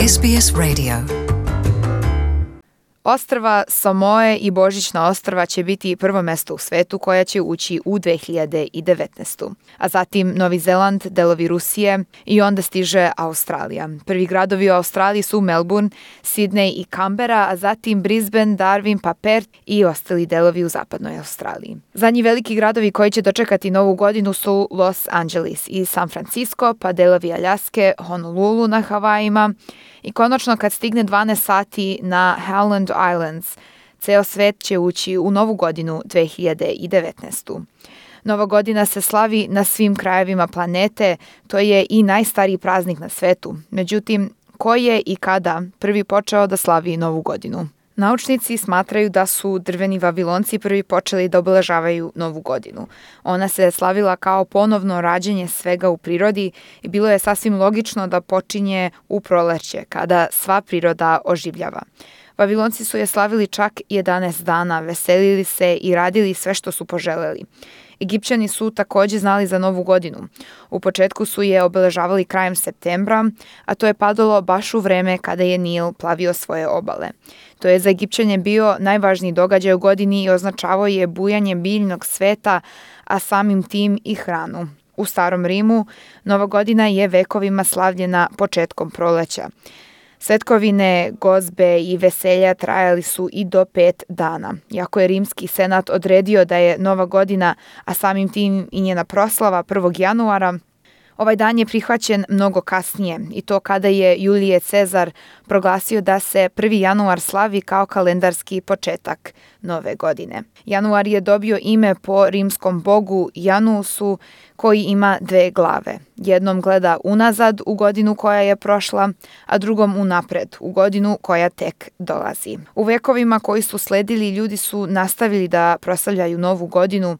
SBS Radio. Ostrva Samoe i Božićna ostrva će biti prvo mesto u svetu koja će ući u 2019. A zatim Novi Zeland, delovi Rusije i onda stiže Australija. Prvi gradovi u Australiji su Melbourne, Sydney i Canberra, a zatim Brisbane, Darwin, pa Perth i ostali delovi u zapadnoj Australiji. Zadnji veliki gradovi koji će dočekati novu godinu su Los Angeles i San Francisco, pa delovi Aljaske, Honolulu na Havajima, i konačno kad stigne 12 sati na Howland Islands, ceo svet će ući u novu godinu 2019. Nova godina se slavi na svim krajevima planete, to je i najstariji praznik na svetu. Međutim, ko je i kada prvi počeo da slavi novu godinu? Naučnici smatraju da su drveni Vavilonci prvi počeli da obeležavaju novu godinu. Ona se slavila kao ponovno rađenje svega u prirodi i bilo je sasvim logično da počinje u proleće, kada sva priroda oživljava. Vavilonci su je slavili čak 11 dana, veselili se i radili sve što su poželeli. Egipćani su takođe znali za novu godinu. U početku su je obeležavali krajem septembra, a to je padalo baš u vreme kada je Nil plavio svoje obale. To je za Egipćane bio najvažniji događaj u godini i označavao je bujanje biljnog sveta, a samim tim i hranu. U Starom Rimu Nova godina je vekovima slavljena početkom proleća. Svetkovine, gozbe i veselja trajali su i do 5 dana. Iako je Rimski senat odredio da je Nova godina, a samim tim i njena proslava 1. januara, ovaj dan je prihvaćen mnogo kasnije i to kada je Julije Cezar proglasio da se 1. januar slavi kao kalendarski početak nove godine. Januar je dobio ime po rimskom bogu Janusu koji ima 2 glave. Jednom gleda unazad u godinu koja je prošla, a drugom unapred u godinu koja tek dolazi. U vekovima koji su sledili ljudi su nastavili da proslavljaju novu godinu.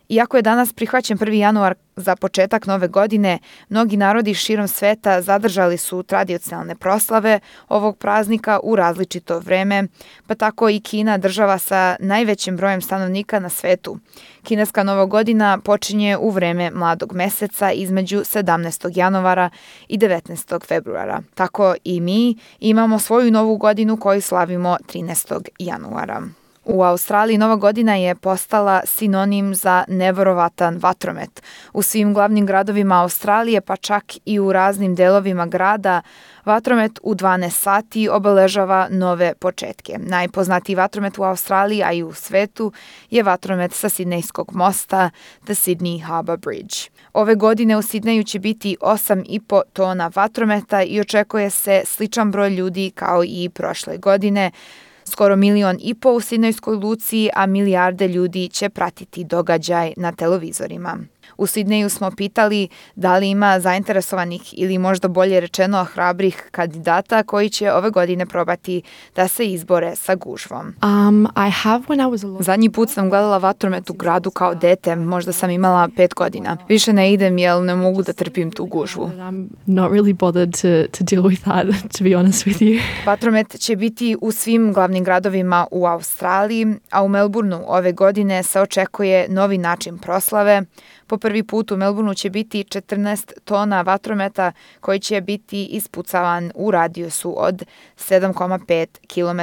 Iako je danas prihvaćen 1. januar za početak nove godine, mnogi narodi širom sveta zadržali su tradicionalne proslave ovog praznika u različito vreme, pa tako i Kina, država sa najvećim brojem stanovnika na svetu. Kineska nova godina počinje u vreme mladog meseca između 17. januara i 19. februara. Tako i mi imamo svoju novu godinu koju slavimo 13. januara. U Australiji Nova godina je postala sinonim za neverovatan vatromet. U svim glavnim gradovima Australije, pa čak i u raznim delovima grada, vatromet u 12 sati obeležava nove početke. Najpoznatiji vatromet u Australiji, a i u svetu, je vatromet sa Sidnejskog mosta, The Sydney Harbour Bridge. Ove godine u Sidneju će biti 8,5 tona vatrometa i očekuje se sličan broj ljudi kao i prošle godine. Skoro 1,5 miliona u Sidnejskoj luci, a milijarde ljudi će pratiti događaj na televizorima. U Sidneju smo pitali da li ima zainteresovanih ili možda bolje rečeno hrabrih kandidata koji će ove godine probati da se izbore sa gužvom. Zadnji put sam gledala vatromet u gradu kao dete, možda sam imala 5 godina. Više ne idem jer ne mogu da trpim tu gužvu. Vatromet će biti u svim glavnim gradovima u Australiji, a u Melbourneu ove godine se očekuje novi način proslave. Po prvi put u Melbourneu će biti 14 tona vatrometa koji će biti ispucavan u radijusu od 7,5 km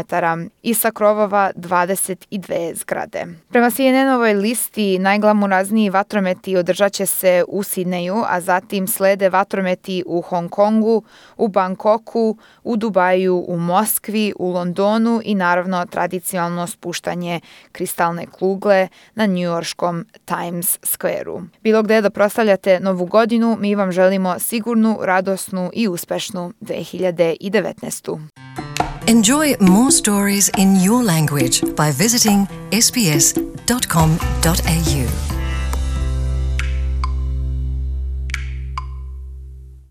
i sa krovova 22 zgrade. Prema CNN-ovoj listi najglamurazniji vatrometi održat će se u Sidneju, a zatim slede vatrometi u Hong Kongu, u Bangkoku, u Dubaju, u Moskvi, u Londonu i naravno tradicionalno spuštanje kristalne kugle na njujorškom Times Square-u. Bilo gde da proslavljate novu godinu, mi vam želimo sigurnu, radosnu i uspešnu 2019. Enjoy more stories in your language by visiting sbs.com.au.